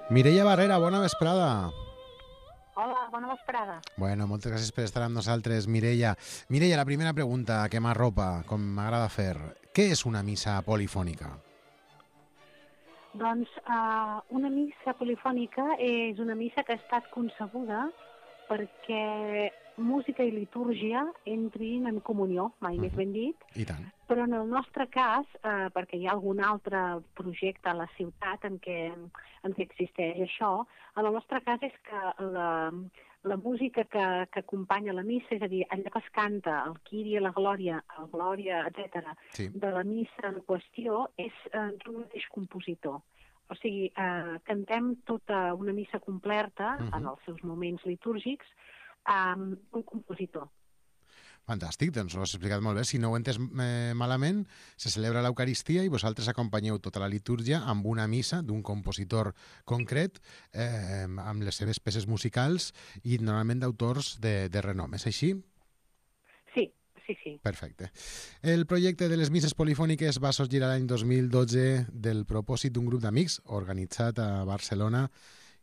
Mireia Barrera, bona vesprada. Hola, bona vesprada. Bueno, moltes gràcies per estar amb nosaltres, Mireia. Mireia, la primera pregunta que m'arropa, com m'agrada fer. Què és una missa polifònica? Doncs una missa polifònica és una missa que ha estat concebuda perquè música i litúrgia entrin en comunió, mai més ben dit, I tant. però en el nostre cas, perquè hi ha algun altre projecte a la ciutat en què existeix això, en el nostre cas és que la música que acompanya la missa, és a dir, allò que es canta, el Kyrie, la Glòria, el Glòria, etc., Sí. de la missa en qüestió, és d'un mateix compositor. O sigui, cantem tota una missa completa, en els seus moments litúrgics, amb un compositor. Fantàstic, doncs ho has explicat molt bé. Si no ho he entès malament, se celebra l'Eucaristia i vosaltres acompanyeu tota la litúrgia amb una missa d'un compositor concret, amb les seves peces musicals i normalment d'autors de renom. És així? Sí. Perfecte. El projecte de les misses polifòniques va sorgir l'any 2012 del propòsit d'un grup d'amics organitzat a Barcelona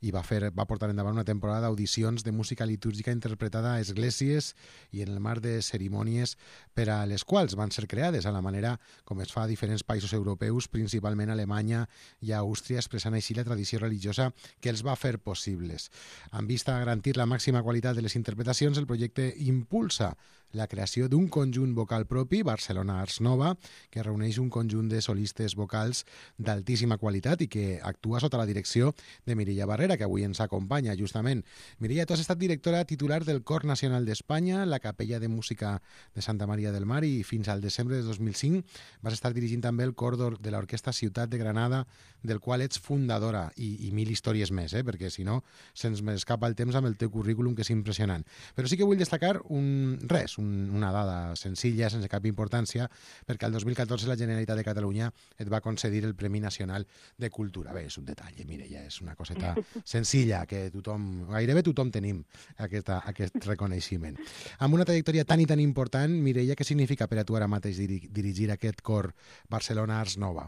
i va portar endavant una temporada d'audicions de música litúrgica interpretada a esglésies i en el marc de cerimònies per a les quals van ser creades a la manera com es fa a diferents països europeus, principalment a Alemanya i a Àustria, expressant així la tradició religiosa que els va fer possibles. En vista a garantir la màxima qualitat de les interpretacions, el projecte impulsa la creació d'un conjunt vocal propi, Barcelona Arts Nova, que reuneix un conjunt de solistes vocals d'altíssima qualitat i que actua sota la direcció de Mireia Barrera, que avui ens acompanya justament. Mireia, tu has estat directora titular del Cor Nacional d'Espanya, la Capella de Música de Santa Maria del Mar, i fins al desembre de 2005 vas estar dirigint també el cor de l'Orquestra Ciutat de Granada, del qual ets fundadora, i mil històries més, perquè si no se'ns m'escapa el temps amb el teu currículum, que és impressionant. Però sí que vull destacar una dada senzilla, sense cap importància, perquè el 2014 la Generalitat de Catalunya et va concedir el Premi Nacional de Cultura. Bé, és un detall, Mireia, és una coseta senzilla, que gairebé tothom tenim aquest reconeixement. Amb una trajectòria tan i tan important, Mireia, què significa per a tu ara mateix dirigir aquest cor Barcelona Arts Nova?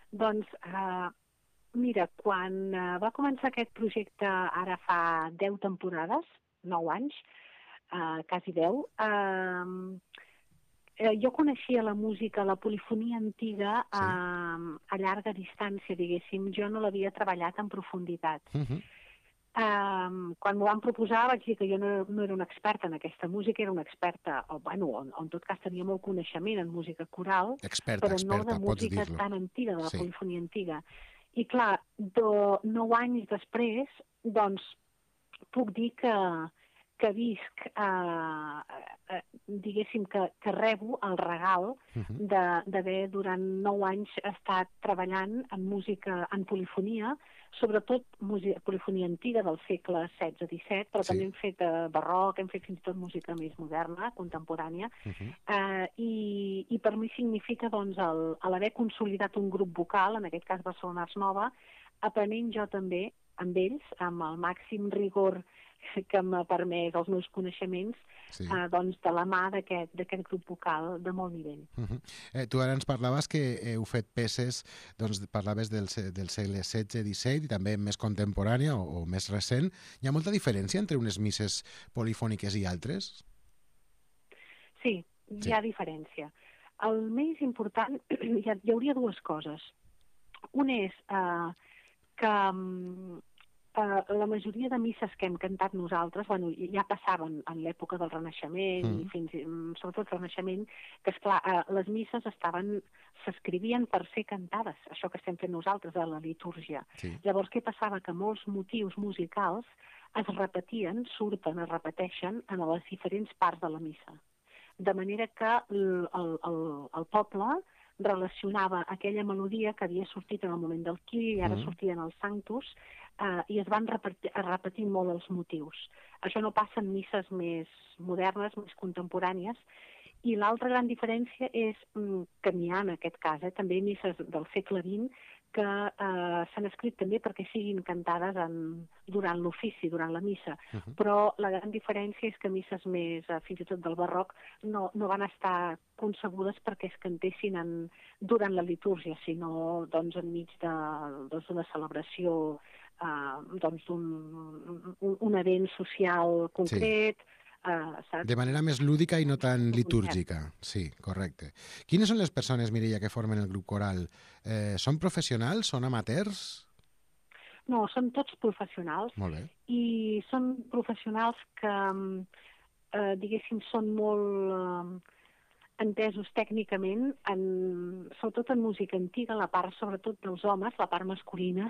Doncs, mira, quan va començar aquest projecte ara fa 10 temporades, 9 anys, quasi 10, jo coneixia la música, la polifonia antiga a llarga distància, diguéssim. Jo no l'havia treballat en profunditat. Quan m'ho van proposar vaig dir que jo no era una experta en aquesta música, era una experta, o en tot cas tenia molt coneixement en música coral, però no de música tan antiga, de la polifonia antiga. I clar, 9 anys després, doncs, puc dir que visc, diguéssim, que rebo el regal d'haver durant 9 anys estat treballant en música, en polifonia, sobretot polifonia antiga del segle XVI-XVII, però també hem fet barroc, hem fet fins i tot música més moderna, contemporània, i per mi significa, doncs, l'haver consolidat un grup vocal, en aquest cas Barcelona Arts Nova, aprenent jo també amb ells, amb el màxim rigor que m'ha permès els meus coneixements, doncs de la mà d'aquest grup vocal de molt nivell. Tu ara ens parlaves que heu fet peces, doncs parlaves del segle XVI-XVII i també més contemporània o més recent. Hi ha molta diferència entre unes misses polifòniques i altres? Sí, hi ha diferència. El més important, hi hauria dues coses. Una és que la majoria de misses que hem cantat nosaltres, ja passaven en l'època del Renaixement i sobretot el Renaixement, que esclar, les misses s'escrivien per ser cantades, això que estem fent nosaltres a la litúrgia. Llavors, què passava? Que molts motius musicals es repetien, es repeteixen en les diferents parts de la missa. De manera que el poble relacionava aquella melodia que havia sortit en el moment del Kyrie i ara sortien els Sanctus, i es van repetint molt els motius. Això no passa en misses més modernes, més contemporànies, i l'altra gran diferència és que n'hi ha en aquest cas, també misses del segle XX que s'han escrit també perquè siguin cantades durant l'ofici, durant la missa. Però la gran diferència és que misses més, fins i tot del barroc, no van estar concebudes perquè es cantessin durant la litúrgia, sinó doncs, enmig d'una celebració, d'un event social concret. Sí. De manera més lúdica i no tan litúrgica. Sí, correcte. Quines són les persones, Mireia, que formen el grup coral? Són professionals? Són amateurs? No, són tots professionals. Molt bé. I són professionals que, diguéssim, són molt entesos tècnicament, sobretot en música antiga, la part sobretot dels homes, la part masculina,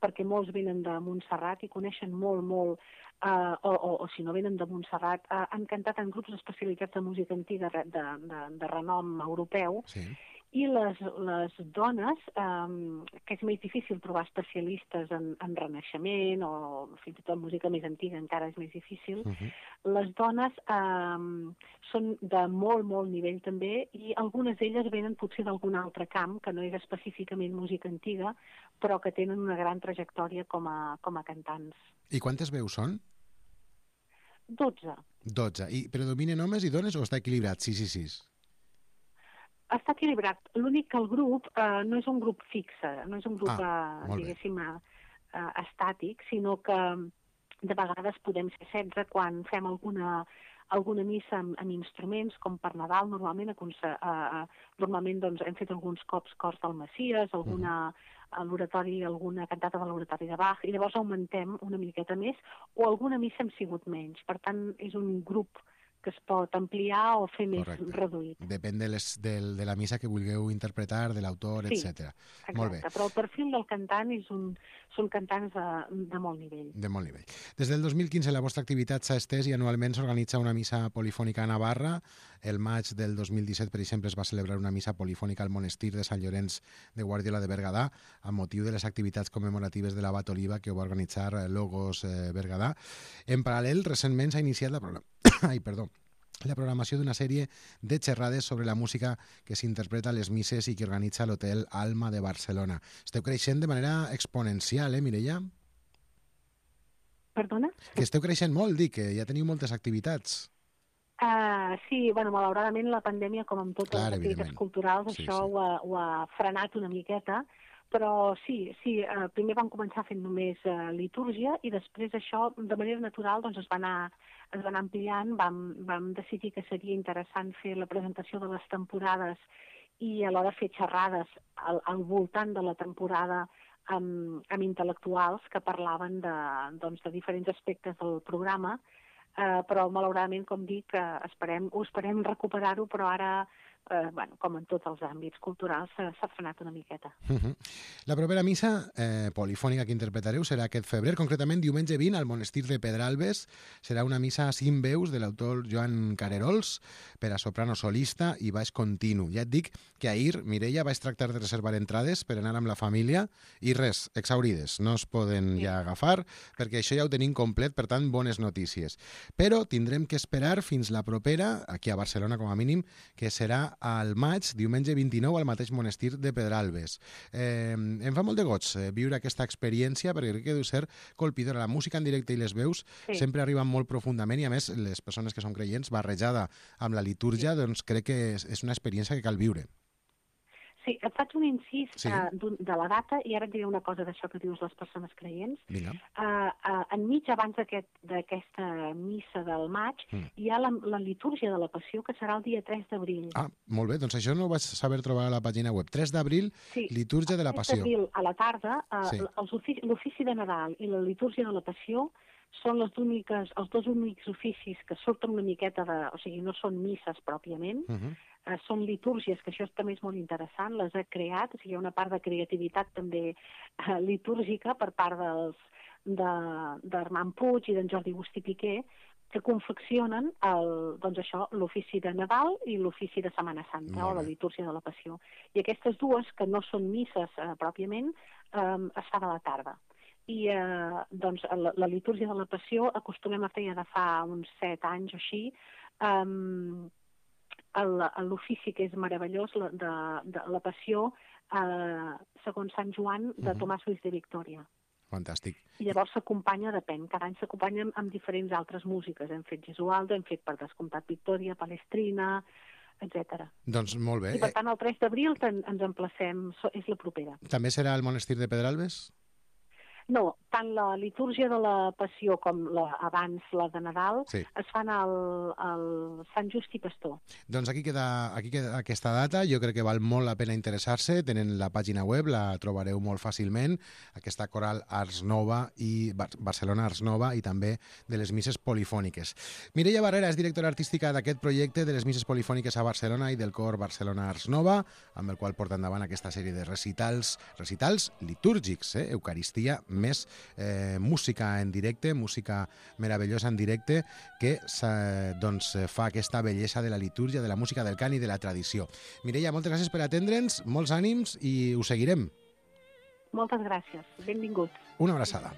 perquè molts venen de Montserrat i coneixen molt, o si no venen de Montserrat, han cantat en grups especialitzats de música antiga de renom europeu. Sí. I les dones, que és més difícil trobar especialistes en renaixement o fins i tot música més antiga encara és més difícil, les dones són de molt nivell també i algunes d'elles venen potser d'algun altre camp, que no és específicament música antiga, però que tenen una gran trajectòria com a cantants. I quantes veus són? 12. 12. I predominen homes i dones o està equilibrat? 6 i 6? Està equilibrat. L'únic que el grup no és un grup fixe, no és un grup, diguéssim, estàtic, sinó que de vegades podem ser 16 quan fem alguna missa amb instruments, com per Nadal, normalment doncs, hem fet alguns cops cors del Messies, alguna cantata de l'oratori de Bach, i llavors augmentem una miqueta més, o alguna missa hem sigut menys. Per tant, és un grup que es pot ampliar o fer més reduït. Depèn de la missa que vulgueu interpretar, de l'autor, etc. Molt bé. Però el perfil del cantant són cantants de molt nivell. De molt nivell. Des del 2015 la vostra activitat s'ha estès i anualment s'organitza una missa polifònica a Navarra. El maig del 2017, per exemple, es va celebrar una missa polifònica al monestir de Sant Llorenç de Guardiola de Berguedà amb motiu de les activitats commemoratives de l'abat Oliva que ho va organitzar Logos Berguedà. En paral·lel, recentment s'ha iniciat la programació d'una sèrie de xerrades sobre la música que s'interpreta a les misses i que organitza l'Hotel Alma de Barcelona. Esteu creixent de manera exponencial, Mireia? Perdona? Que esteu creixent molt, dic, que ja teniu moltes activitats. Sí, malauradament la pandèmia, com amb totes les activitats culturals, això ho ha frenat una miqueta, però sí, primer vam començar fent només litúrgia i després això, de manera natural, doncs es va anar ampliant, vam decidir que seria interessant fer la presentació de les temporades i alhora fer xerrades al voltant de la temporada amb intel·lectuals que parlaven de diferents aspectes del programa, però malauradament, com dic, ho esperem recuperar-ho, però ara, com en tots els àmbits culturals, s'ha frenat una miqueta. La propera missa polifònica que interpretareu serà aquest febrer, concretament diumenge 20 al monestir de Pedralbes. Serà una missa a 5 veus de l'autor Joan Carerols per a soprano solista i baix continu. Ja et dic que ahir, Mireia, vaig tractar de reservar entrades per anar amb la família i res, exhaurides, no es poden ja agafar perquè això ja ho tenim complet, per tant, bones notícies. Però tindrem que esperar fins la propera, aquí a Barcelona com a mínim, que serà al maig, diumenge 29, al mateix monestir de Pedralbes. Em fa molt de goig viure aquesta experiència, perquè crec que deu ser colpidora. La música en directe i les veus sempre arriben molt profundament i, a més, les persones que són creients, barrejada amb la litúrgia, doncs crec que és una experiència que cal viure. Sí, et faig un incís de la data i ara et diré una cosa d'això que dius les persones creients. Enmig, abans d'aquesta missa del maig, hi ha la litúrgia de la Passió, que serà el dia 3 d'abril. Ah, molt bé, doncs això no ho vaig saber trobar a la pàgina web. 3 d'abril, litúrgia de la Passió. 3 d'abril a la tarda, l'ofici de Nadal i la litúrgia de la Passió són els dos únics oficis que surten una miqueta o sigui, no són misses pròpiament, són litúrgies, que això també és molt interessant, les ha creat, o sigui, hi ha una part de creativitat també litúrgica per part d'Armand Puig i d'en Jordi Agustí Piqué, que confeccionen l'ofici de Nadal i l'ofici de Setmana Santa, o la litúrgia de la Passió. I aquestes dues, que no són misses pròpiament, es fa de la tarda. I la litúrgia de la Passió acostumem a fer ja de fa uns 7 anys o així, l'ofici que és meravellós de la Passió segons Sant Joan de Tomàs Luis de Victòria. Fantàstic. I llavors s'acompanya, depèn, cada any s'acompanya amb diferents altres músiques. Hem fet Gesualdo, hem fet per descomptat Victòria, Palestrina, etc. Doncs molt bé. I per tant el 3 d'abril ens emplacem, és la propera. També serà al monestir de Pedralbes? No, tant la litúrgia de la Passió com abans la de Nadal es fan al Sant Just i Pastor. Doncs aquí queda aquesta data. Jo crec que val molt la pena interessar-se. Tenen la pàgina web, la trobareu molt fàcilment. Aquesta coral Ars Nova i Barcelona Ars Nova i també de les misses polifòniques. Mireia Barrera és directora artística d'aquest projecte de les misses polifòniques a Barcelona i del cor Barcelona Ars Nova, amb el qual porta endavant aquesta sèrie de recitals litúrgics, Eucaristia més música en directe, música meravellosa en directe, que doncs, fa aquesta bellesa de la litúrgia, de la música, del cant i de la tradició. Mireia, moltes gràcies per atendre'ns, molts ànims i ho seguirem. Moltes gràcies, benvinguts. Una abraçada.